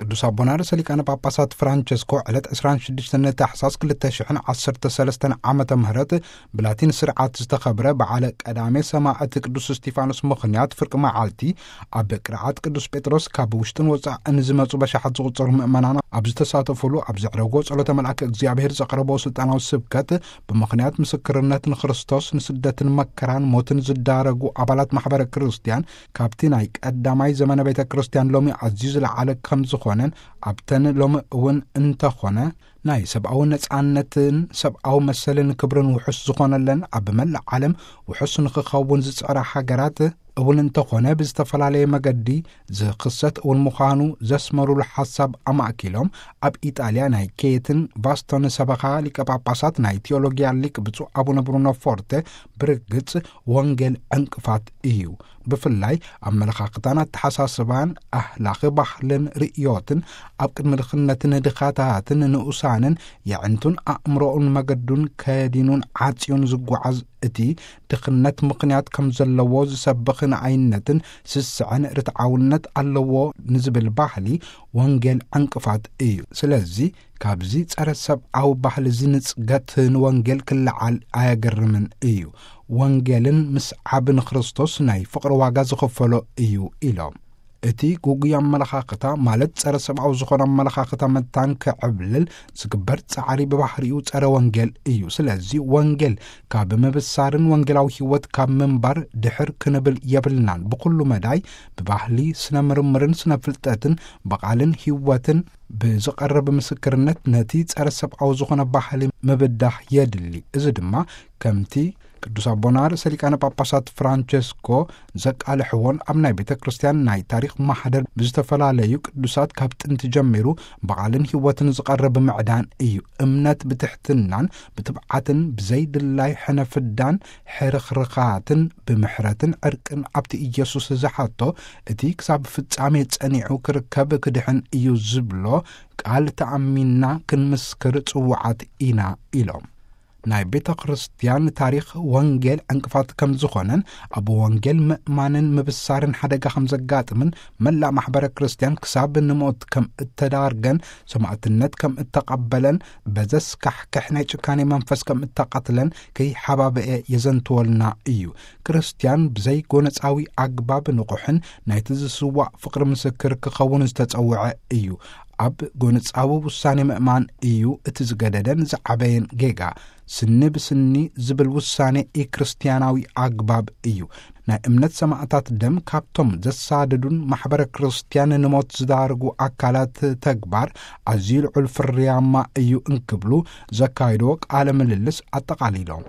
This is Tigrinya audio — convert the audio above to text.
ቅዱስ ኣቦና ርእሰ ሊቃነ ጳጳሳት ፍራንቸስኮ ዕለት ዕስራን ሽዱሽተን ታሕሳስ ክልተ ሽሕን ዓሰርተ ሰለስተን ዓመተ ምህረት ብላቲን ስርዓት ዝተኸብረ በዓለ ቀዳሜ ሰማዕት ቅዱስ እስጢፋኖስ ምኽንያት ፍርቂ መዓልቲ ኣብ ቅርዓት ቅዱስ ጴጥሮስ ካብ ውሽጥን ወጻእን ዝመጹ በሻሓት ዝቑጸሩ ምእመናን ኣብ ዝተሳተፉሉ ኣብ ዘዕረጎ ጸሎተ መልኣክ እግዚኣብሔር ዘቕረቦ ስልጣናዊ ስብከት ብምኽንያት ምስክርነት ንክርስቶስ ንስደትን መከራን ሞትን ዝዳረጉ ኣባላት ማሕበረ ክርስቲያን ካብቲ ናይ ቀዳማይ ዘመነ ቤተ ክርስቲያን ሎሚ ኣዝዩ ዝለዓለ ከም ዝኾነን ኣብተን ሎሚ እውን እንተኾነ ናይ ሰብኣዊ ነጻነትን ሰብኣዊ መሰልን ክብርን ውሑስ ዝኾነለን ኣብ መላእ ዓለም ውሑስ ንክኸውን ዝጽዕራ ሃገራት እውን እንተኾነ ብዝተፈላለየ መገዲ ዝኽሰት እውን ምዃኑ ዘስመሩሉ ሓሳብ ኣማእኪሎም ኣብ ኢጣልያ ናይ ኬትን ቫስቶን ሰበኻ ሊቀ ጳጳሳት ናይ ቴዎሎጊያ ሊቅ ብፁዕ ኣቡነ ብሩኖ ፎርተ ብርግጽ ወንጌል ዕንቅፋት እዩ። ብፍላይ ኣመለኻኽታን ኣተሓሳስባን ኣህላኺ ባህልን ርእዮትን ኣብ ቅድሚ ድኽነትን ድኻታትን ንኡሳንን የዕንቱን ኣእምሮኡን መገዱን ከዲኑን ዓጽዩን ዝጓዓዝ እቲ ድኽነት ምኽንያት ከም ዘለዎ ዝሰብኽ ንኣይነትን ስስዐን ርትዓውነት ኣለዎ ንዝብል ባህሊ ወንጌል ዕንቅፋት እዩ። ስለዚ ካብዚ ጸረ ሰብኣዊ ባህሊ እዚ ንጽገት ንወንጌል ክለዓል ኣየገርምን እዩ። ወንጌልን ምስዓብ ንክርስቶስ ናይ ፍቕሪ ዋጋ ዝኸፈሎ እዩ ኢሎም። እቲ ግጉይ ኣመለኻኽታ ማለት ጸረ ሰብኣዊ ዝኾነ ኣመለኻኽታ መታን ክዕብልል ዝግበር ጻዕሪ ብባህሪኡ ጸረ ወንጌል እዩ። ስለዚ ወንጌል ካብ ምብሳርን ወንጌላዊ ህይወት ካብ ምንባር ድሕር ክንብል የብልናን። ብኹሉ መዳይ ብባህሊ ስነ ምርምርን ስነ ፍልጠትን ብቓልን ህይወትን ብዝቐረብ ምስክርነት ነቲ ጸረ ሰብኣዊ ዝኾነ ባህሊ ምብዳህ የድሊ። እዚ ድማ ከምቲ ቅዱስ ኣቦና ርእሰ ሊቃነ ጳጳሳት ፍራንቸስኮ ዘቃልሕዎን ኣብ ናይ ቤተ ክርስቲያን ናይ ታሪኽ ማሕደር ብዝተፈላለዩ ቅዱሳት ካብ ጥንቲ ጀሚሩ ብቓልን ህይወትን ዝቐረብ ምዕዳን እዩ። እምነት ብትሕትናን ብትብዓትን ብዘይድላይ ሕነ ፍዳን ሕርኽርኻትን ብምሕረትን ዕርቅን ኣብቲ ኢየሱስ ዝሓቶ እቲ ክሳብ ፍጻሜ ጸኒዑ ክርከብ ክድሕን እዩ ዝብሎ ቃል ተኣሚንና ክንምስክር ጽውዓት ኢና ኢሎም። ናይ ቤተ ክርስቲያን ታሪኽ ወንጌል ዕንቅፋት ከም ዝኾነን ኣብ ወንጌል ምእማንን ምብሳርን ሓደጋ ከም ዘጋጥምን መላእ ማሕበረ ክርስቲያን ክሳብ ንሞት ከም እተዳርገን ሰማዕትነት ከም እተቐበለን በዘስካሕክሕ ናይ ጭካኔ መንፈስ ከም እተቐትለን ከይሓባበኤ የዘንትወልና እዩ። ክርስቲያን ብዘይ ጎነጻዊ ኣግባብ ንቑሕን ናይቲ ዝስዋእ ፍቕሪ ምስክር ክኸውን ዝተጸውዐ እዩ። ኣብ ጎነጻዊ ውሳኔ ምእማን እዩ እቲ ዝገደደን ዝዓበየን ጌጋ። ስኒ ብስኒ ዝብል ውሳኔ ኢክርስቲያናዊ ኣግባብ እዩ። ናይ እምነት ሰማዕታት ደም ካብቶም ዘሳደዱን ማሕበረ ክርስቲያን ንሞት ዝዳርጉ ኣካላት ተግባር ኣዝዩ ልዑል ፍርያማ እዩ እንክብሉ ዘካይድዎ ቃለ ምልልስ ኣጠቓሊሎም።